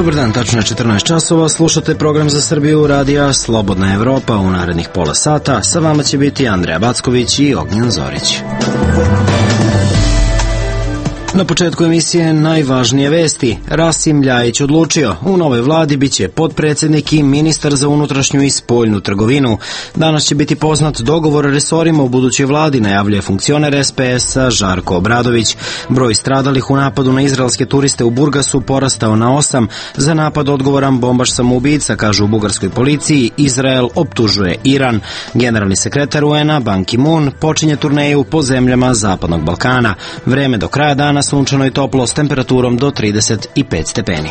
Dobar dan, tačno je 14 časova, slušate program za Srbiju radija Slobodna Evropa. U narednih pola sata sa vama će biti Andreja Backović i Ognjen Zorić. Na početku emisije najvažnije vesti. Rasim Ljajić odlučio. U novoj vladi biće potpredsjednik i ministar za unutrašnju i spoljnu trgovinu. Danas će biti poznat dogovor resorima u budućoj vladi, najavljuje funkcioner SPS-a Žarko Obradović. Broj stradalih u napadu na izraelske turiste u Burgasu porastao na 8. Za napad odgovoran bombaš samoubica, kažu u bugarskoj policiji. Izrael optužuje Iran. Generalni sekretar UN-a Ban Ki-moon počinje turneju po zemljama Zapadnog Balkana. Vreme do kraja dana sunčano i toplo s temperaturom do 35 stepeni.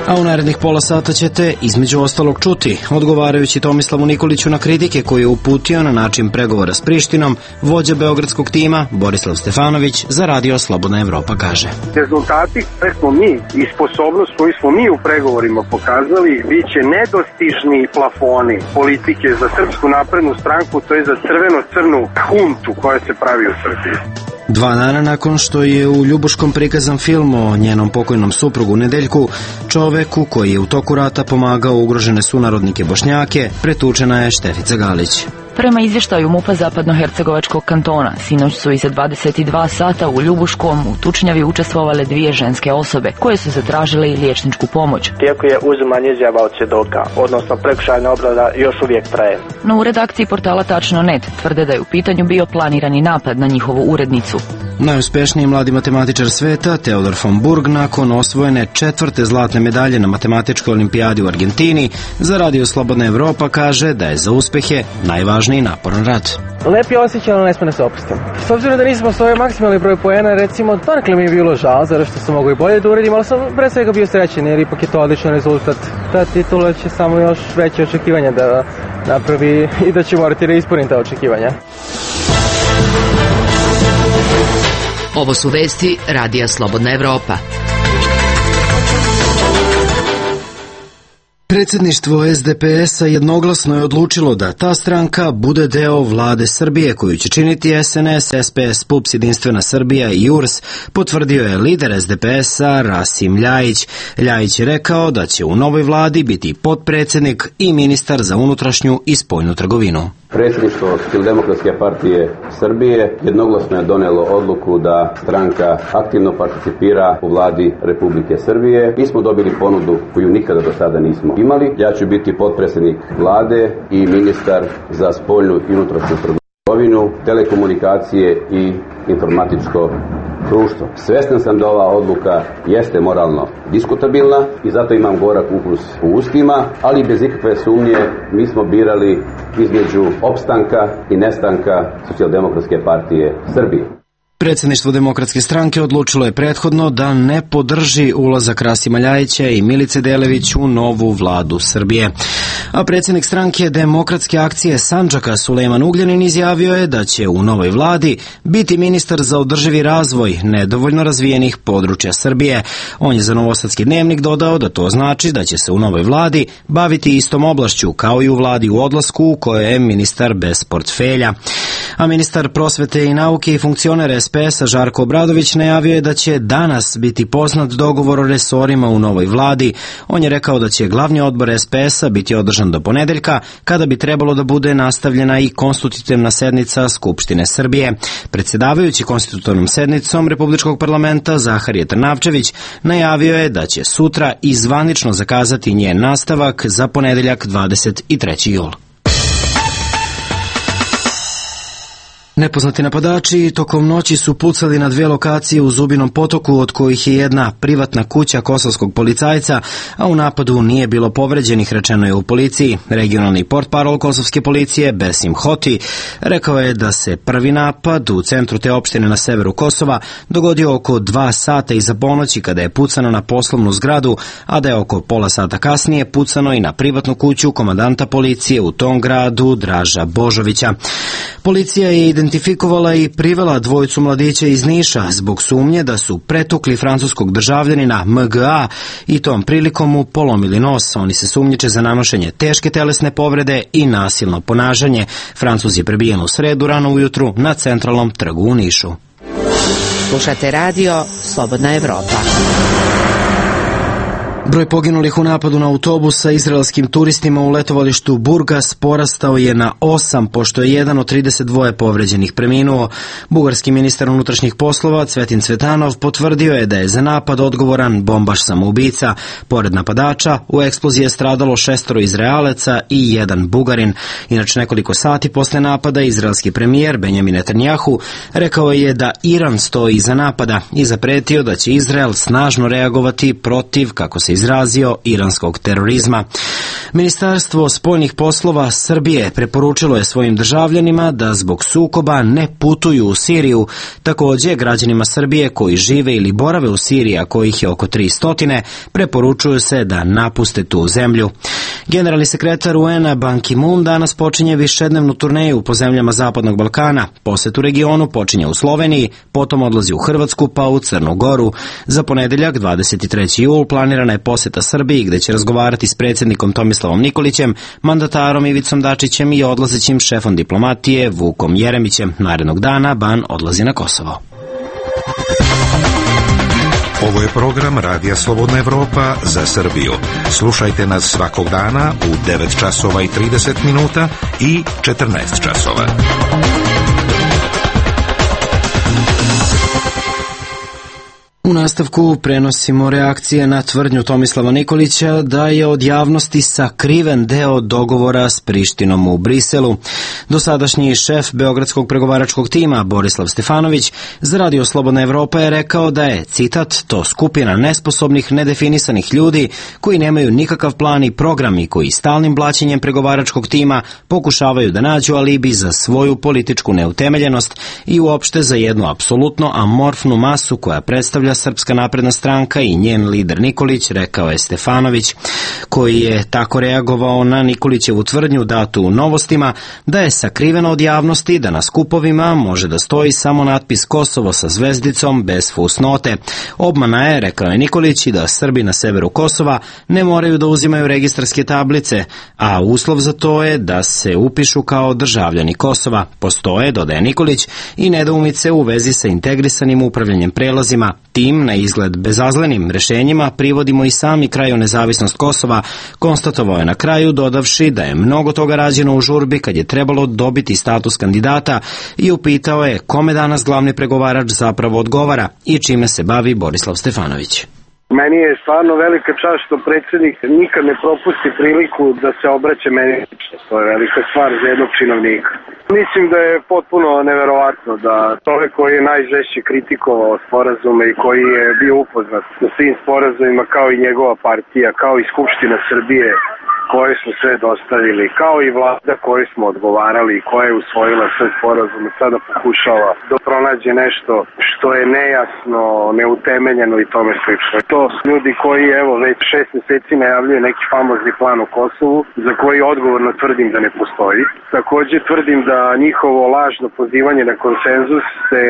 A u narednih pola sata ćete između ostalog čuti, odgovarajući Tomislavu Nikoliću na kritike koje je uputio na način pregovora s Prištinom, vođa beogradskog tima Borislav Stefanović za radio Slobodna Evropa kaže: rezultati koje smo mi i sposobnost koju smo mi u pregovorima pokazali biće nedostižni plafoni politike za Srpsku naprednu stranku, to je za crveno-crnu huntu koja se pravi u Srbiji. 2 dana nakon što je u Ljubuškom prikazan film o njenom pokojnom suprugu Nedeljku, čoveku koji je u toku rata pomagao ugrožene sunarodnike Bošnjake, pretučena je Štefica Galić. Prema izvještaju MUP-a Zapadnohercegovačkog kantona, sinoć su iza 22 sata u Ljubuškom u tučnjavi učestvovale 2 ženske osobe, koje su zatražile i liječničku pomoć. Tijeko je uzimanje izjava od svjedoka, odnosno prekršajna obrada još uvijek traje. No u redakciji portala Tačno.net tvrde da je u pitanju bio planirani napad na njihovu urednicu. Najuspešniji mladi matematičar sveta, Teodor von Burg, nakon osvojene 4. zlatne medalje na matematičkoj olimpijadi u Argentini, za radio Slobodna Evropa kaže da je za uspehe najvažniji naporan rad. Lep je osjećaj, ali ne sme da se opustim. S obzirom da nismo svoj maksimalni broj poena, recimo, donekle mi je bilo žao, zato što sam mogu i bolje da uradim, ali sam pre svega bio srećen, jer ipak je to odličan rezultat. Ta titula će samo još veće očekivanja da napravi i da će morati da ispunim ta očekivanja. Ovo su vesti radija Slobodna Evropa. Predsjedništvo SDP-a jednoglasno je odlučilo da ta stranka bude deo vlade Srbije, koju će činiti SNS, SPS, PUPS, Jedinstvena Srbija i URS, potvrdio je lider SDP-a Rasim Ljajić. Ljajić je rekao da će u novoj vladi biti potpredsjednik i ministar za unutrašnju i spoljnu trgovinu. Predsjedništvo Socijaldemokratske partije Srbije jednoglasno je donijelo odluku da stranka aktivno participira u vladi Republike Srbije. Mi smo dobili ponudu koju nikada do sada nismo imali. Ja ću biti potpredsjednik vlade i ministar za spoljnu i unutrašnju trgovinu, telekomunikacije i informatičko društvo. Svestan sam da ova odluka jeste moralno diskutabilna i zato imam gorak ukus u ustima, ali bez ikakve sumnje mi smo birali između opstanka i nestanka Socijaldemokratske partije Srbije. Predsjedništvo Demokratske stranke odlučilo je prethodno da ne podrži ulazak Rasima Ljajića i Milice Delević u novu vladu Srbije. A predsjednik stranke Demokratske akcije Sandžaka Sulejman Ugljanin izjavio je da će u novoj vladi biti ministar za održivi razvoj nedovoljno razvijenih područja Srbije. On je za Novosadski dnevnik dodao da to znači da će se u novoj vladi baviti istom oblašću kao i u vladi u odlasku u kojoj je ministar bez portfelja. A ministar prosvete i nauke i funkcioner SPS-a Žarko Obradović najavio je da će danas biti poznat dogovor o resorima u novoj vladi. On je rekao da će glavni odbor SPS-a biti održan do ponedeljka, kada bi trebalo da bude nastavljena i konstitutivna sednica Skupštine Srbije. Predsjedavajući konstitutivnom sednicom Republičkog parlamenta Zaharije Trnavčević najavio je da će sutra i zvanično zakazati njen nastavak za ponedeljak 23. jul. Nepoznati napadači tokom noći su pucali na 2 lokacije u Zubinom Potoku, od kojih je jedna privatna kuća kosovskog policajca, a u napadu nije bilo povređenih, rečeno je u policiji. Regionalni portparol kosovske policije Besim Hoti rekao je da se prvi napad u centru te opštine na severu Kosova dogodio oko 2 sata iza ponoći, kada je pucano na poslovnu zgradu, a da je oko pola sata kasnije pucano i na privatnu kuću komandanta policije u tom gradu Draža Božovića. Policija je identifikovala i privela 2 mladića iz Niša zbog sumnje da su pretukli francuskog državljanina MGA i tom prilikom mu polomili nos. Oni se sumnjiče za nanošenje teške telesne povrede i nasilno ponašanje. Francuz je prebijen u sredu rano ujutru na centralnom trgu u Nišu. Slušate radio Slobodna Evropa. Broj poginulih u napadu na autobus sa izraelskim turistima u letovalištu Burgas porastao je na 8, pošto je jedan od 32 povređenih preminuo. Bugarski ministar unutrašnjih poslova Cvetin Cvetanov potvrdio je da je za napad odgovoran bombaš samoubica. Pored napadača, u eksploziji je stradalo 6 Izraelaca i 1 Bugarin. Inače, nekoliko sati posle napada, izraelski premijer Benjamin Netanjahu rekao je da Iran stoji iza napada i zapretio da će Izrael snažno reagovati protiv, kako se izrazio, iranskog terorizma. Ministarstvo spoljnih poslova Srbije preporučilo je svojim državljanima da zbog sukoba ne putuju u Siriju. Takođe, građanima Srbije koji žive ili borave u Siriji, a kojih je oko 300, preporučuju se da napuste tu zemlju. Generalni sekretar UN-a Ban Ki-moon danas počinje višednevnu turneju po zemljama Zapadnog Balkana. Posjet u regionu počinje u Sloveniji, potom odlazi u Hrvatsku pa u Crnu Goru. Za ponedeljak, 23. jul, planirana je poseta Srbiji, gde će razgovarati s predsjednikom Tomislavom Nikolićem, mandatarom Ivicom Dačićem i odlazećim šefom diplomatije Vukom Jeremićem. Narednog dana Ban odlazi na Kosovo. Ovo je program Radija Slobodna Evropa za Srbiju. Slušajte nas svakog dana u 9 časova i 30 minuta i 14 časova. U nastavku prenosimo reakcije na tvrdnju Tomislava Nikolića da je od javnosti sakriven deo dogovora s Prištinom u Briselu. Dosadašnji šef beogradskog pregovaračkog tima Borislav Stefanović za Radio Slobodna Evropa je rekao da je, citat, to skupina nesposobnih, nedefinisanih ljudi koji nemaju nikakav plan i program i koji stalnim blaćenjem pregovaračkog tima pokušavaju da nađu alibi za svoju političku neutemeljenost i uopšte za jednu apsolutno amorfnu masu koja predstavlja Srpska napredna stranka i njen lider Nikolić, rekao je Stefanović, koji je tako reagovao na Nikolićevu tvrdnju datu u Novostima da je sakriveno od javnosti da na skupovima može da stoji samo natpis Kosovo sa zvezdicom bez fusnote. Obmana je, rekao je Nikolić, i da Srbi na severu Kosova ne moraju da uzimaju registarske tablice, a uslov za to je da se upišu kao državljani Kosova. Postoje, dodaje Nikolić, i nedoumice u vezi sa integrisanim upravljanjem prelazima. Tim, na izgled bezazlenim rešenjima, privodimo i sami kraju nezavisnost Kosova, konstatovao je na kraju, dodavši da je mnogo toga rađeno u žurbi kad je trebalo dobiti status kandidata i upitao je kome danas glavni pregovarač zapravo odgovara i čime se bavi Borislav Stefanović. Meni je stvarno velika čast što predsjednik nikad ne propusti priliku da se obraća meni. To je velika stvar za jednog činovnika. Mislim da je potpuno neverovatno da čovjek koji je najžešće kritikovao sporazume i koji je bio upoznat sa svim sporazumima kao i njegova partija, kao i Skupština Srbije koje smo sve dostavili, kao i vlada koju smo odgovarali i koja je usvojila sve sporazume, sada pokušava da pronađe nešto što je nejasno, neutemeljeno i tome slično. To su ljudi koji evo već 6 mjeseci najavljuju neki famozni plan u Kosovu, za koji odgovorno tvrdim da ne postoji. Također tvrdim da njihovo lažno pozivanje na konsenzus se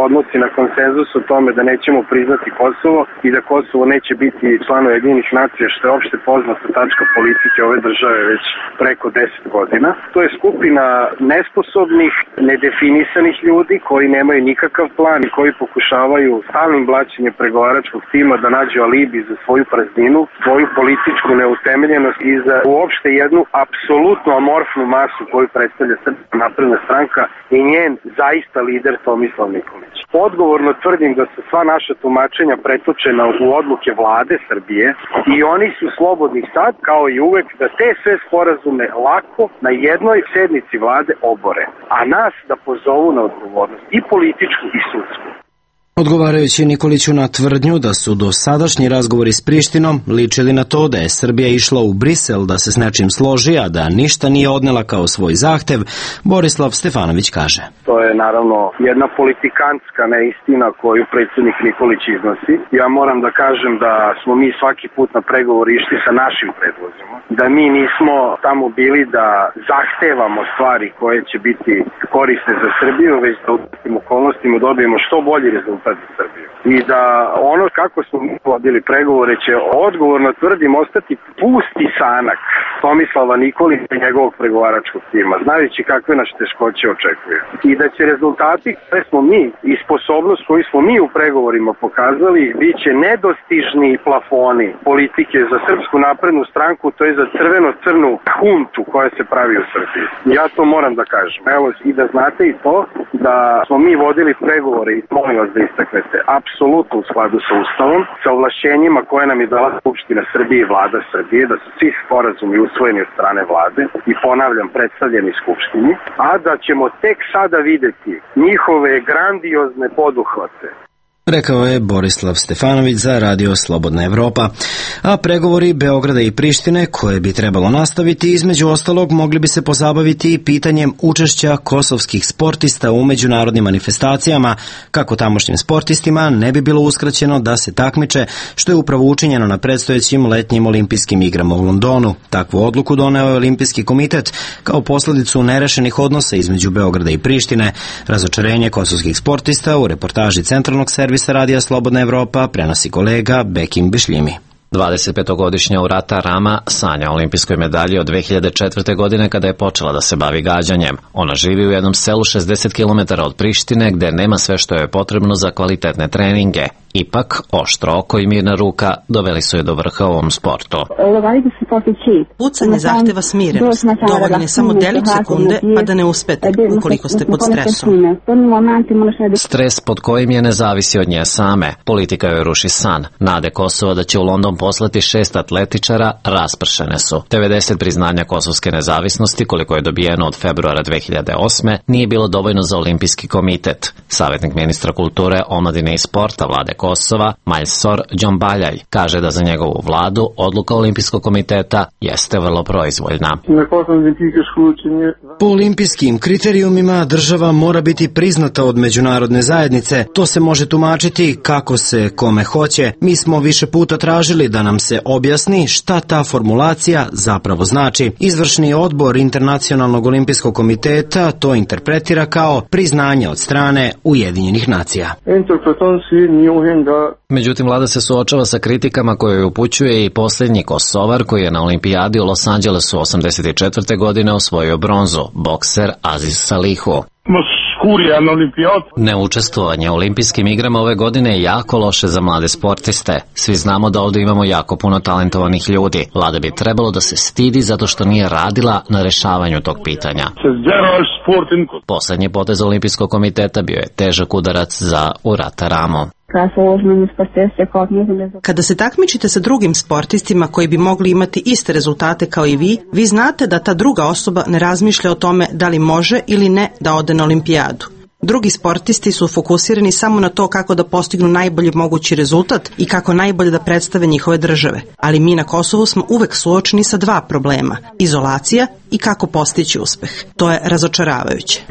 odnosi na konsenzus o tome da nećemo priznati Kosovo i da Kosovo neće biti član Ujedinjenih nacija, što je opšte poznata tačka politike ove države već preko 10 godina. To je skupina nesposobnih, nedefinisanih ljudi koji nemaju nikakav plan i koji pokušavaju stalnim blaćenjem pregovaračkog tima da nađu alibi za svoju prazninu, svoju političku neutemeljenost i za uopšte jednu apsolutno amorfnu masu koju predstavlja Srpska napredna stranka i njen zaista lider Tomislav Nikolić. Odgovorno tvrdim da su sva naša tumačenja pretočena u odluke vlade Srbije i oni su slobodni sad, kao i uvek, da te sve sporazume lako na jednoj sednici vlade obore, a nas da pozovu na odgovornost i političku i sudsku. Odgovarajući Nikoliću na tvrdnju da su dosadašnji razgovori s Prištinom ličili na to da je Srbija išla u Brisel da se s nečim složi, a da ništa nije odnela kao svoj zahtev, Borislav Stefanović kaže. To je naravno jedna politikantska neistina koju predsjednik Nikolić iznosi. Ja moram da kažem da smo mi svaki put na pregovor išli sa našim predlozima. Da mi nismo tamo bili da zahtevamo stvari koje će biti korisne za Srbiju, već da u tim okolnostima dobijemo što bolji rezultat za Srbiju. I da ono kako smo vodili pregovore će, odgovorno tvrdim, ostati pusti sanak Tomislava Nikolića i njegovog pregovaračkog tima, znajući kakve nas teškoće očekuje. I da će rezultati koje smo mi i sposobnost koju smo mi u pregovorima pokazali biće nedostižni plafoni politike za Srpsku naprednu stranku, to je za crveno-crnu huntu koja se pravi u Srbiji. Ja to moram da kažem. Evo, i da znate i to da smo mi vodili pregovore i molim vas da istaknete apsolutno u skladu sa Ustavom, sa ovlašćenjima koje nam je dala Skupština Srbije i Vlada Srbije, da su svi sporazumi usvojeni od strane Vlade i ponavljam predstavljeni Skupštini, a da ćemo tek sada videti njihove grandiozne poduhvate. Rekao je Borislav Stefanović za Radio Slobodna Evropa. A pregovori Beograda i Prištine, koje bi trebalo nastaviti, između ostalog mogli bi se pozabaviti i pitanjem učešća kosovskih sportista u međunarodnim manifestacijama, kako tamošnjim sportistima ne bi bilo uskraćeno da se takmiče, što je upravo učinjeno na predstojećim letnjim olimpijskim igrama u Londonu. Takvu odluku doneo je Olimpijski komitet kao posledicu nerešenih odnosa između Beograda i Prištine. Razočarenje kosovskih sportista u reportaži Centralnog servisa Radija Slobodna Evropa prenosi kolega Bekim Bišljimi. 25-godišnja Urata Rama sanja o olimpijskoj medalji od 2004. godine kada je počela da se bavi gađanjem. Ona živi u jednom selu 60 km od Prištine gde nema sve što je potrebno za kvalitetne treninge. Ipak, oštro oko i mirna ruka doveli su je do vrha u ovom sportu. Pucanje zahteva smirenost. Dovoljno je samo delić sekunde pa da ne uspete ukoliko ste pod stresom. Stres pod kojim je ne zavisi od nje same. Politika joj ruši san. Nade Kosova da će u London poslati 6 atletičara raspršene su. 90 priznanja kosovske nezavisnosti, koliko je dobijeno od februara 2008. nije bilo dovoljno za Olimpijski komitet. Savjetnik ministra kulture, omladine i sporta Vlade Kosova, Majsor Džombaljaj, kaže da za njegovu vladu odluka Olimpijskog komiteta jeste vrlo proizvoljna. Po olimpijskim kriterijumima država mora biti priznata od međunarodne zajednice. To se može tumačiti kako se kome hoće. Mi smo više puta tražili da nam se objasni šta ta formulacija zapravo znači. Izvršni odbor Internacionalnog olimpijskog komiteta to interpretira kao priznanje od strane Ujedinjenih nacija. Međutim, vlada se suočava sa kritikama koje joj upućuje i posljednji Kosovar koji je na olimpijadi u Los Angelesu 1984. godine osvojio bronzu, bokser Aziz Salihu. Neučestvovanje u olimpijskim igrama ove godine je jako loše za mlade sportiste. Svi znamo da ovdje imamo jako puno talentovanih ljudi. Vlada bi trebalo da se stidi zato što nije radila na rešavanju tog pitanja. Poslednji potez Olimpijskog komiteta bio je težak udarac za Urata Ramu. Kada se takmičite sa drugim sportistima koji bi mogli imati iste rezultate kao i vi znate da ta druga osoba ne razmišlja o tome da li može ili ne da ode na olimpijadu. Drugi sportisti su fokusirani samo na to kako da postignu najbolji mogući rezultat i kako najbolje da predstave njihove države. Ali mi na Kosovu smo uvek suočeni sa dva problema: izolacija i kako postići uspeh. To je razočaravajuće.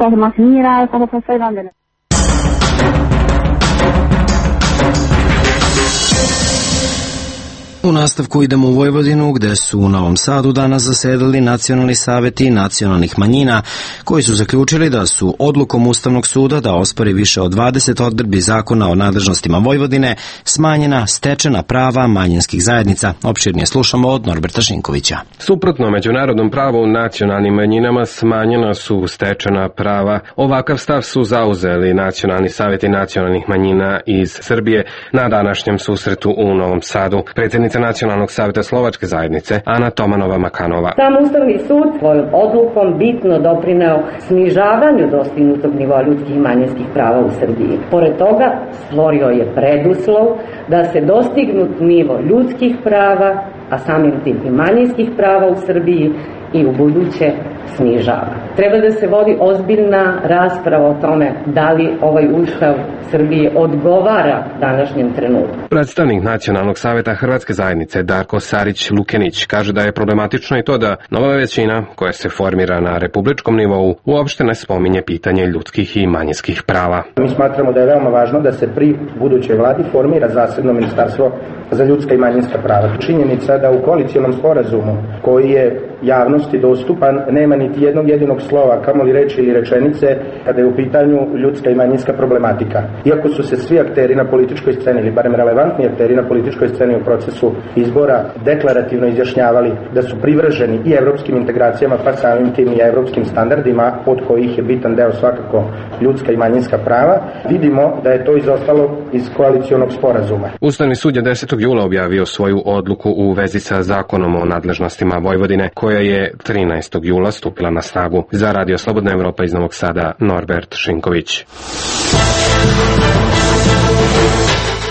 U nastavku idemo u Vojvodinu, gde su u Novom Sadu danas zasedali nacionalni saveti nacionalnih manjina, koji su zaključili da su odlukom Ustavnog suda da ospori više od 20 odredbi zakona o nadležnostima Vojvodine smanjena stečena prava manjinskih zajednica. Opširnije slušamo od Norberta Šinkovića. Suprotno međunarodnom pravu nacionalnim manjinama smanjena su stečena prava. Ovakav stav su zauzeli nacionalni saveti nacionalnih manjina iz Srbije na današnjem susretu u Novom Sadu. Predsjednica Nacionalnog saveta Slovačke zajednice Ana Tomanova-Makanova. Sam Ustavni sud svojom odlukom bitno doprineo snižavanju dostignutog nivoa ljudskih i manjinskih prava u Srbiji. Pored toga stvorio je preduslov da se dostignut nivo ljudskih prava, a samim tim i manjinskih prava u Srbiji i u buduće snižava. Treba da se vodi ozbiljna rasprava o tome da li ovaj Ustav Srbije odgovara današnjem trenutku. Predstavnik Nacionalnog saveta Hrvatske zajednice Darko Sarić-Lukenić kaže da je problematično i to da nova većina koja se formira na republičkom nivou uopšte ne spominje pitanje ljudskih i manjinskih prava. Mi smatramo da je veoma važno da se pri budućoj vladi formira zasebno ministarstvo za ljudska i manjinska prava. Činjenica da u koalicionom sporazumu koji je javnosti dostupan, nema niti jednog jedinog slova, kamoli reči ili rečenice, kada je u pitanju ljudska i manjinska problematika. Iako su se svi akteri na političkoj sceni, ili barem relevantni akteri na političkoj sceni u procesu izbora deklarativno izjašnjavali da su privrženi i evropskim integracijama, pa samim tim i evropskim standardima, od kojih je bitan deo svakako ljudska i manjinska prava, vidimo da je to izostalo iz koalicionog sporazuma. Ustavni sud je 10. jula objavio svoju odluku u vezi sa zakonom o nadležnostima Vojvodine, koja je 13. jula stupila na snagu. Za Radio Slobodna Evropa iz Novog Sada, Norbert Šinković.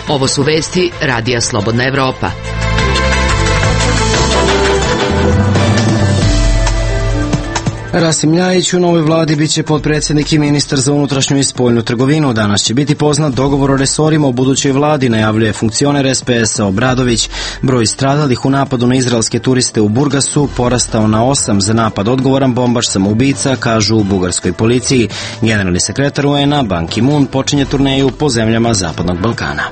Ovo su vesti Radija Slobodna Evropa. Rasim Ljajić u novoj vladi biće potpredsjednik i ministar za unutrašnju i spoljnu trgovinu. Danas će biti poznat dogovor o resorima u budućoj vladi, najavljuje funkcioner SPS-a Obradović. Broj stradalih u napadu na izraelske turiste u Burgasu porastao na 8, za napad odgovoran bombaš samoubica, kažu u bugarskoj policiji. Generalni sekretar UN-a Ban Ki-moon počinje turneju po zemljama Zapadnog Balkana.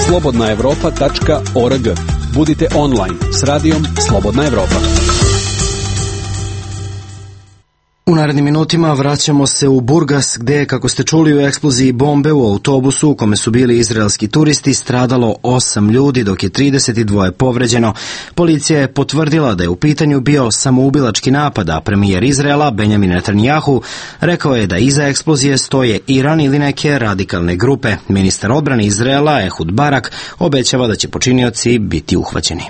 slobodnaevropa.org. Budite online s radijom Slobodna Evropa. U narednim minutima vraćamo se u Burgas, gde, kako ste čuli, u eksploziji bombe u autobusu u kome su bili izraelski turisti stradalo 8 ljudi, dok je 32 povređeno. Policija je potvrdila da je u pitanju bio samoubilački napad, a premijer Izraela Benjamin Netanjahu rekao je da iza eksplozije stoje Iran ili neke radikalne grupe. Ministar odbrane Izraela Ehud Barak obećava da će počinioci biti uhvaćeni.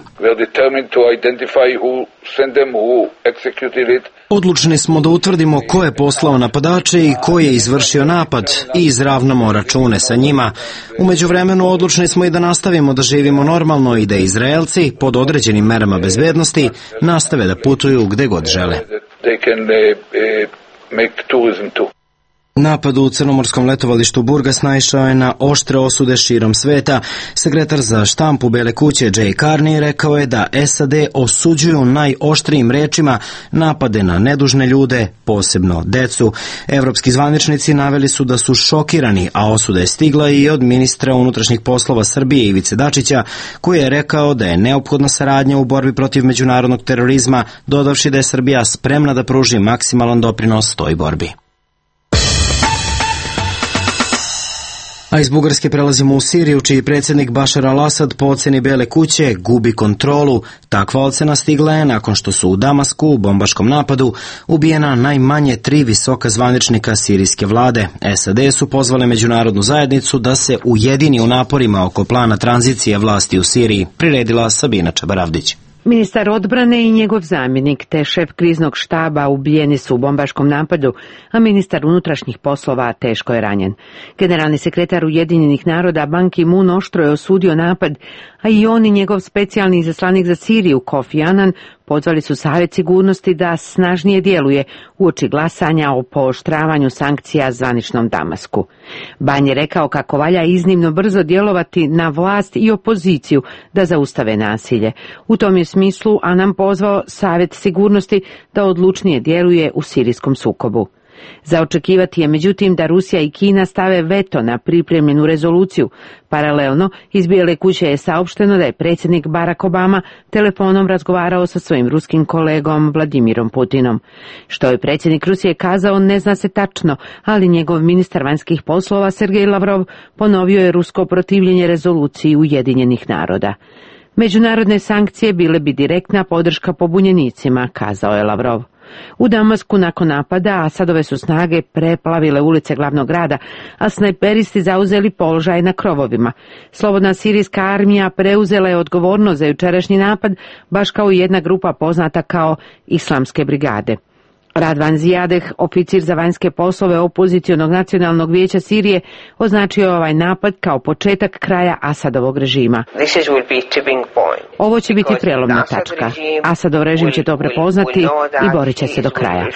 Odlučni smo da utvrdimo ko je poslao napadače i ko je izvršio napad i izravnamo račune sa njima. U međuvremenu odlučni smo i da nastavimo da živimo normalno i da Izraelci, pod određenim merama bezbednosti, nastave da putuju gde god žele. Napad u crnomorskom letovalištu Burgas naišao je na oštre osude širom sveta. Sekretar za štampu Bele kuće Jay Carney rekao je da SAD osuđuju najoštrijim rečima napade na nedužne ljude, posebno decu. Evropski zvaničnici naveli su da su šokirani, a osuda je stigla i od ministra unutrašnjih poslova Srbije Ivice Dačića, koji je rekao da je neophodna saradnja u borbi protiv međunarodnog terorizma, dodavši da je Srbija spremna da pruži maksimalan doprinos toj borbi. A iz Bugarske prelazimo u Siriju, čiji predsjednik Bašar al-Asad po oceni Bele kuće gubi kontrolu. Takva ocena stigla je nakon što su u Damasku u bombaškom napadu ubijena najmanje 3 visoka zvaničnika sirijske vlade. SAD su pozvale međunarodnu zajednicu da se ujedini u naporima oko plana tranzicije vlasti u Siriji, priredila Sabina Čabaravdić. Ministar odbrane i njegov zamjenik te šef kriznog štaba ubijeni su u bombaškom napadu, a ministar unutrašnjih poslova teško je ranjen. Generalni sekretar Ujedinjenih naroda Ban Ki-moon oštro je osudio napad, a i on i njegov specijalni izaslanik za Siriju Kofi Annan pozvali su Savet sigurnosti da snažnije djeluje uoči glasanja o pooštravanju sankcija zvaničnom Damasku. Ban je rekao kako valja iznimno brzo djelovati na vlast i opoziciju da zaustave nasilje. U tom je smislu Annan pozvao Savet sigurnosti da odlučnije djeluje u sirijskom sukobu. Za očekivati je međutim da Rusija i Kina stave veto na pripremljenu rezoluciju. Paralelno, iz Bijele kuće je saopšteno da je predsjednik Barack Obama telefonom razgovarao sa svojim ruskim kolegom Vladimirom Putinom. Što je predsjednik Rusije kazao ne zna se tačno, ali njegov ministar vanjskih poslova Sergej Lavrov ponovio je rusko protivljenje rezoluciji Ujedinjenih naroda. Međunarodne sankcije bile bi direktna podrška pobunjenicima, kazao je Lavrov. U Damasku nakon napada Asadove su snage preplavile ulice glavnog grada, a snajperisti zauzeli položaj na krovovima. Slobodna sirijska armija preuzela je odgovornost za jučerašnji napad, baš kao i jedna grupa poznata kao Islamske brigade. Radvan Zijadeh, oficir za vanjske poslove opozicionog nacionalnog vijeća Sirije, označio je ovaj napad kao početak kraja Asadovog režima. Ovo će biti prelomna tačka. Asadov režim će to prepoznati i borit će se do kraja.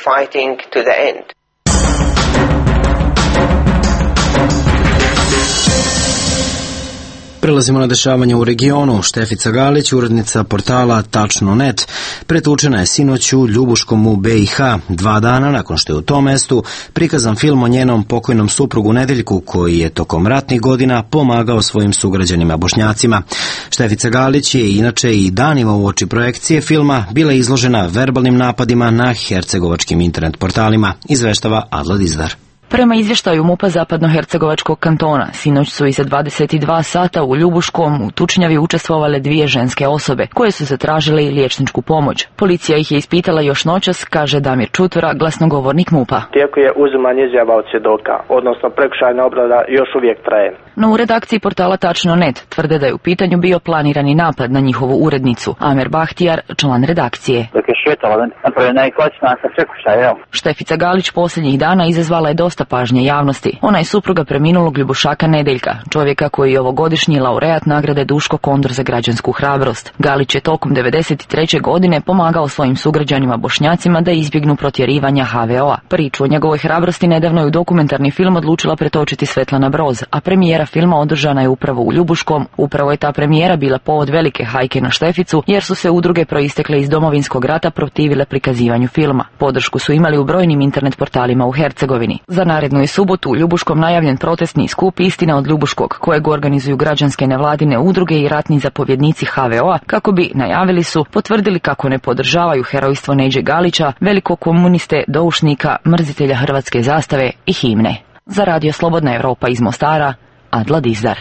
Prelazimo na dešavanje u regionu. Štefica Galić, urednica portala Tačno.net, pretučena je sinoć u Ljubuškom u BiH, 2 dana nakon što je u tom mestu prikazan film o njenom pokojnom suprugu Nedeljku, koji je tokom ratnih godina pomagao svojim sugrađanima Bošnjacima. Štefica Galić je inače i danima uoči projekcije filma bila izložena verbalnim napadima na hercegovačkim internet portalima, izveštava Adla Dizdar. Prema izvještaju MUP-a Zapadnohercegovačkog kantona, sinoć su iza 22 sata u Ljubuškom u tučnjavi učestvovale 2 ženske osobe, koje su zatražile i liječničku pomoć. Policija ih je ispitala još noćas, kaže Damir Čutura, glasnogovornik MUP-a. Tijeko je uzimanje izjava od svjedoka, odnosno prekršajna obrada još uvijek traje. No u redakciji portala Tačno.net tvrde da je u pitanju bio planirani napad na njihovu urednicu. Amer Bahtijar, član redakcije. Dok je šetala, napravljena je kočna sa prekršajem. Štefica Galić posljednjih dana izazvala je dosta pažnje javnosti. Ona je supruga preminulog Ljubušaka Nedeljka, čovjeka koji je ovogodišnji laureat nagrade Duško Kondor za građansku hrabrost. Galić je tokom 1993. godine pomagao svojim sugrađanima Bošnjacima da izbjegnu protjerivanja HVO-a. Priču o njegovoj hrabrosti nedavno je u dokumentarni film odlučila pretočiti Svetlana Broz, a premijera filma održana je upravo u Ljubuškom. Upravo je ta premijera bila povod velike hajke na Šteficu, jer su se udruge proistekle iz Domovinskog rata protivile prikazivanju filma. Podršku su imali u brojnim internet portalima u Hercegovini. Za narednu je subotu u Ljubuškom najavljen protestni skup Istina od Ljubuškog, kojeg organizuju građanske nevladine udruge i ratni zapovjednici HVO-a, kako bi, najavili su, potvrdili kako ne podržavaju herojstvo Neđe Galića, velikog komuniste, doušnika, mrzitelja hrvatske zastave i himne. Za Radio Slobodna Evropa iz Mostara, Adla Dizdar.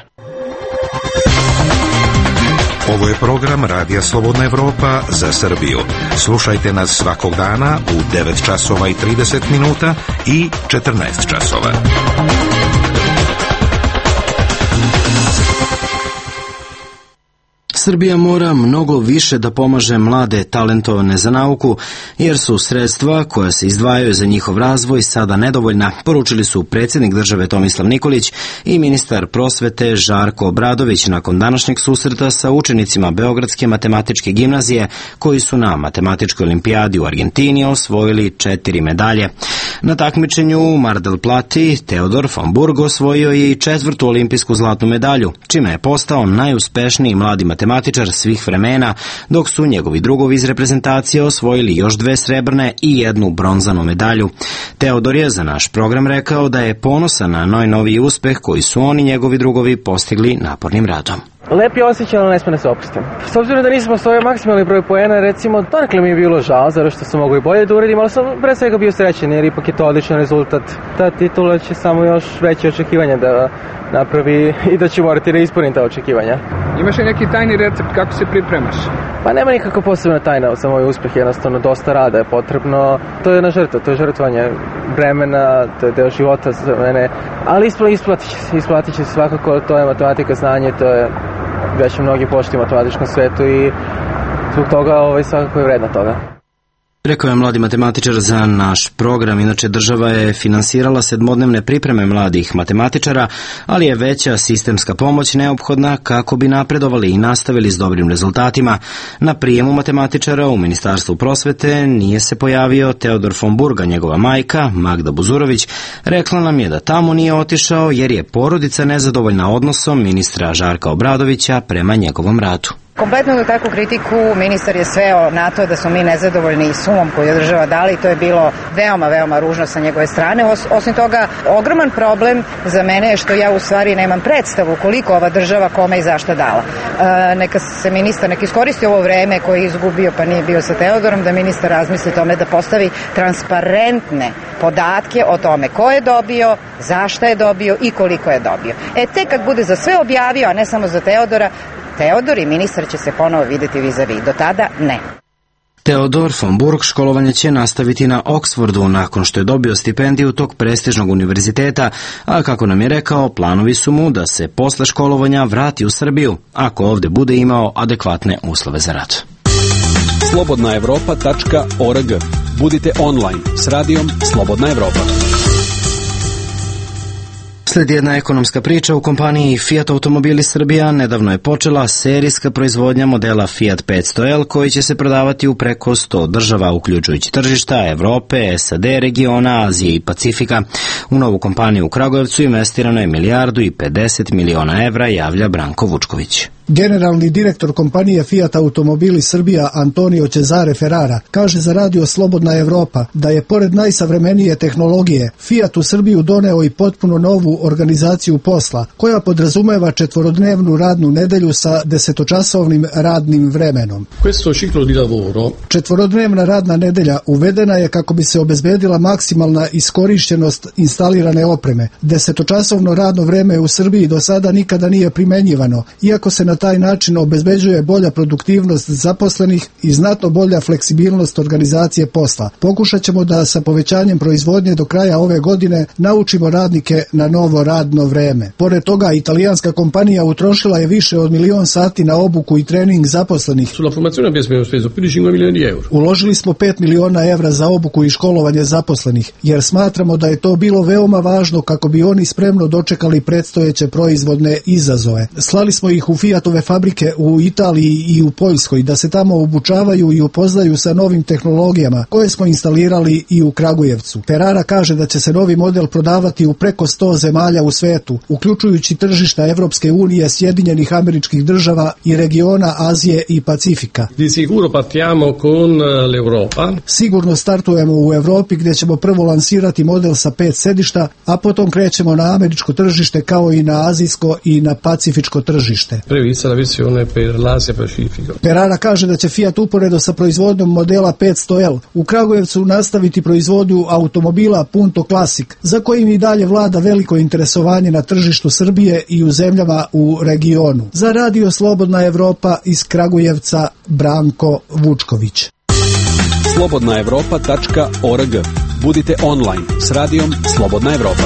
Ovo je program Radija Slobodna Evropa za Srbiju. Slušajte nas svakog dana u 9 časova i 30 minuta i 14 časova. Srbija mora mnogo više da pomaže mlade talentovane za nauku, jer su sredstva koja se izdvajaju za njihov razvoj sada nedovoljna, poručili su predsjednik države Tomislav Nikolić i ministar prosvete Žarko Obradović nakon današnjeg susreta sa učenicima Beogradske matematičke gimnazije, koji su na matematičkoj olimpijadi u Argentini osvojili 4 medalje. Na takmičenju u Mar del Plati Teodor von Burg osvojio je i 4. olimpijsku zlatnu medalju, čime je postao najuspešniji mladi matematičar svih vremena, dok su njegovi drugovi iz reprezentacije osvojili još 2 srebrne i 1 bronzanu medalju. Teodor je za naš program rekao da je ponosan na najnoviji uspeh koji su oni njegovi drugovi postigli napornim radom. Lep je osjećaj, ali ne sme da se opustim. S obzirom da nismo osvojili maksimalni broj poena, recimo, donekle mi je bilo žao, zato što sam mogu i bolje da uradim, ali sam pre svega bio srećen, jer ipak je to odličan rezultat. Ta titula će samo još veće očekivanja da napravi i da će morati da ispunim ta očekivanja. Imaš li neki tajni recept kako se pripremaš? Pa nema nikako posebna tajna za moj uspeh, jednostavno dosta rada je potrebno. To je jedna žrtva, to je žrtvanje vremena, to je deo života za mene, ali isplatit će se svakako, to je matematika, znanje, to je već mnogi poštuju u matematičkom svetu i zbog toga svakako je vredna toga. Rekao je mladi matematičar za naš program. Inače, država je finansirala 7-dnevne pripreme mladih matematičara, ali je veća sistemska pomoć neophodna kako bi napredovali i nastavili s dobrim rezultatima. Na prijemu matematičara u Ministarstvu prosvete nije se pojavio Teodor von Burg, njegova majka, Magda Buzurović, rekla nam je da tamo nije otišao jer je porodica nezadovoljna odnosom ministra Žarka Obradovića prema njegovom radu. Kompletno na takvu kritiku ministar je sveo na to da smo mi nezadovoljni sumom koju je država dala i to je bilo veoma, veoma ružno sa njegove strane. Osim toga, ogroman problem za mene je što ja u stvari nemam predstavu koliko ova država kome i zašta dala. Neka se ministar, neka iskoristi ovo vreme koje je izgubio pa nije bio sa Teodorom, da ministar razmisli tome da postavi transparentne podatke o tome ko je dobio, zašta je dobio i koliko je dobio. Tek kad bude za sve objavio, a ne samo za Teodora, Teodor i ministar će se ponovo vidjeti vis-a-vis. Do tada ne. Teodor von Burg školovanje će nastaviti na Oxfordu nakon što je dobio stipendiju tog prestižnog univerziteta, a kako nam je rekao, planovi su mu da se posle školovanja vrati u Srbiju, ako ovdje bude imao adekvatne uslove za rad. slobodnaevropa.org. Budite online s radijom Slobodna Evropa. Slijedi jedna ekonomska priča. U kompaniji Fiat Automobili Srbija nedavno je počela serijska proizvodnja modela Fiat 500L koji će se prodavati u preko 100 država, uključujući tržišta Evrope, SAD, regiona, Azije i Pacifika. U novu kompaniju u Kragujevcu investirano je 1,50 milijardi evra, javlja Branko Vučković. Generalni direktor kompanije Fiat Automobili Srbija Antonio Cesare Ferrara kaže za radio Slobodna Evropa da je pored najsavremenije tehnologije Fiat u Srbiju doneo i potpuno novu organizaciju posla koja podrazumeva 4-dnevnu radnu nedelju sa 10-časovnim radnim vremenom. Questo ciclo di lavoro 4-dnevna radna nedelja uvedena je kako bi se obezbedila maksimalna iskorišćenost instalirane opreme. 10-časovno radno vreme u Srbiji do sada nikada nije primenjivano, iako se na taj način obezbeđuje bolja produktivnost zaposlenih i znatno bolja fleksibilnost organizacije posla. Pokušat ćemo da sa povećanjem proizvodnje do kraja ove godine naučimo radnike na novo radno vreme. Pored toga, italijanska kompanija utrošila je više od 1.000.000 sati na obuku i trening zaposlenih. Sulla formazione abbiamo speso più di 5 milioni di euro. Uložili smo 5 miliona evra za obuku i školovanje zaposlenih, jer smatramo da je to bilo veoma važno kako bi oni spremno dočekali predstojeće proizvodne izazove. Slali smo ih u Fiatove fabrike u Italiji i u Poljskoj da se tamo obučavaju i upoznaju sa novim tehnologijama koje smo instalirali i u Kragujevcu. Ferrara kaže da će se novi model prodavati u preko 100 zemalja u svetu, uključujući tržišta Evropske unije, Sjedinjenih Američkih Država i regiona Azije i Pacifika. Di sicuro partiamo con l'Europa. Sigurno startujemo u Evropi gdje ćemo prvo lansirati model sa 5 sedišta, a potom krećemo na američko tržište kao i na azijsko i na pacifičko tržište. Prevista la versione per l'Asia Pacifico. Ferrara kaže da će Fiat uporedo sa proizvodnjom modela 500L u Kragujevcu nastaviti proizvodnju automobila Punto Classic, za kojim i dalje vlada veliko interesovanje na tržištu Srbije i u zemljama u regionu. Za radio Slobodna Evropa iz Kragujevca, Branko Vučković. slobodnaevropa.org. Budite online s radijom Slobodna Evropa.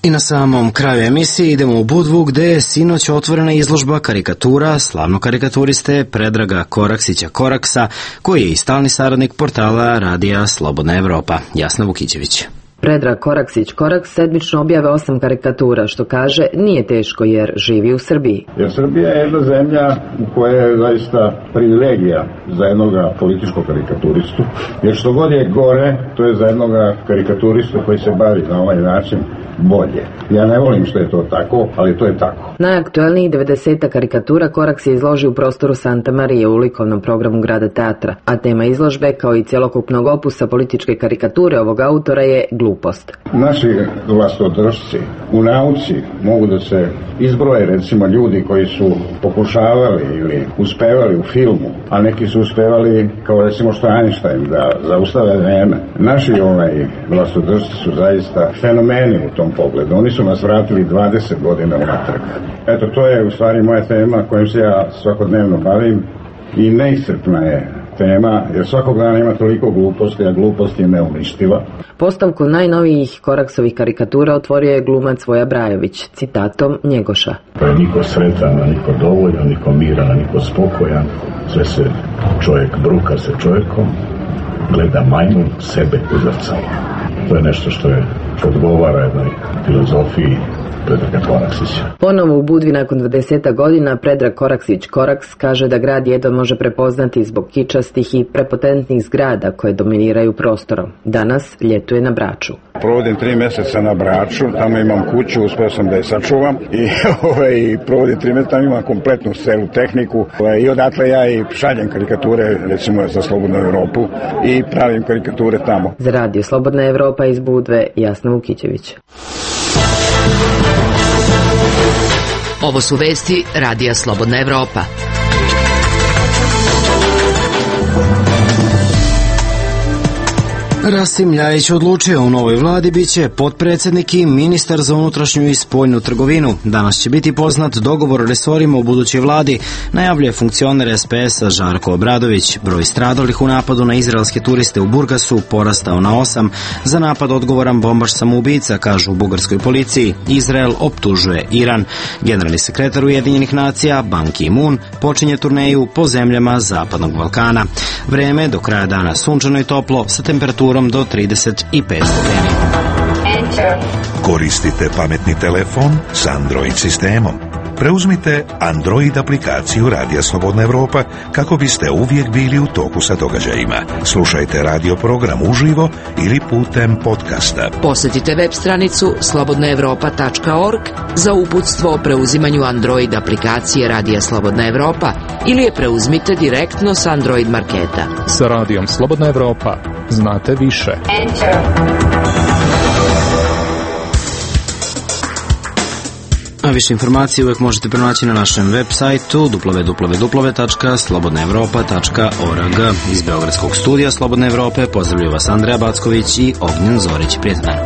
I na samom kraju emisije idemo u Budvu gde je sinoć otvorena izložba karikatura slavnog karikaturiste Predraga Koraksića Koraksa, koji je i stalni saradnik portala radija Slobodna Evropa. Jasna Vukićević. Predrag Koraksić Koraks sedmično objave 8 karikatura, što kaže nije teško jer živi u Srbiji. Jer Srbija je jedna zemlja u kojoj je zaista privilegija za jednoga političkog karikaturistu, jer što god je gore, to je za jednoga karikaturistu koji se bavi na ovaj način bolje. Ja ne volim što je to tako, ali to je tako. Najaktuelnijih 90 karikatura Koraks je izložio u prostoru Santa Marije u likovnom programu Grada teatra, a tema izložbe, kao i cjelokupnog opusa političke karikature ovog autora, je glupost. Naši vlastodržci u nauci mogu da se izbroje, recimo, ljudi koji su pokušavali ili uspevali u filmu, a neki su uspevali, kao recimo što Einstein, da zaustave vreme. Naši vlastodržci su zaista fenomeni u tom pogledu. Oni su nas vratili 20 godina unatrag. Eto, to je u stvari moja tema kojom se ja svakodnevno bavim i neiscrpna je tema, jer svakog dana ima toliko gluposti, a glupost je neuništiva. Postavku najnovijih Koraksovih karikatura otvorio je glumac Voja Brajović, citatom Njegoša. Pa je niko sretan, a niko dovoljan, niko miran, a niko spokojan. Sve se čovjek bruka se čovjekom, gleda majmun sebe u zrcalu. To je nešto što je odgovara jednoj filozofiji Predraga Koraksića. Ponovo u Budvi nakon 20 godina Predrag Koraksić Koraks kaže da grad jedva može prepoznati zbog kičastih i prepotentnih zgrada koje dominiraju prostorom. Danas ljetuje na Braču. Provodim 3 mjeseca na Braču, tamo imam kuću, uspeo sam da je sačuvam i provodim 3 mjeseca, tamo imam kompletnu celu tehniku i odatle ja i šaljem karikature, recimo za Slobodnu Evropu, i pravim karikature tamo. Za radio Slobodna Evropa iz Budve, Jasna Vukićević. Ovo su vesti radija Slobodna Evropa. Rasim Ljajić odlučio u novoj vladi biće potpredsjednik i ministar za unutrašnju i spoljnu trgovinu. Danas će biti poznat dogovor o resorima u budućoj vladi, najavljuje funkcioner SPS-a Žarko Obradović. Broj stradalih u napadu na izraelske turiste u Burgasu porastao na 8. Za napad odgovoran bombaš samoubica, kažu u bugarskoj policiji. Izrael optužuje Iran. Generalni sekretar Ujedinjenih nacija Ban Ki-moon počinje turneju po zemljama Zapadnog Balkana. Vreme do kraja dana sunčano i toplo sa temperaturom do 35 stepeni. Koristite pametni telefon s Android sistemom? Preuzmite Android aplikaciju Radija Slobodna Evropa kako biste uvijek bili u toku sa događajima. Slušajte radio program uživo ili putem podcasta. Posjetite web stranicu slobodnaevropa.org za uputstvo o preuzimanju Android aplikacije Radija Slobodna Evropa ili je preuzmite direktno s Android marketa. Sa Radijom Slobodna Evropa znate više. A više informacije uvijek možete pronaći na našem web sajtu www.slobodnaevropa.org. Iz Beogradskog studija Slobodne Evrope pozdravljaju vas Andreja Backović i Ognjen Zorić. Prijetan dan.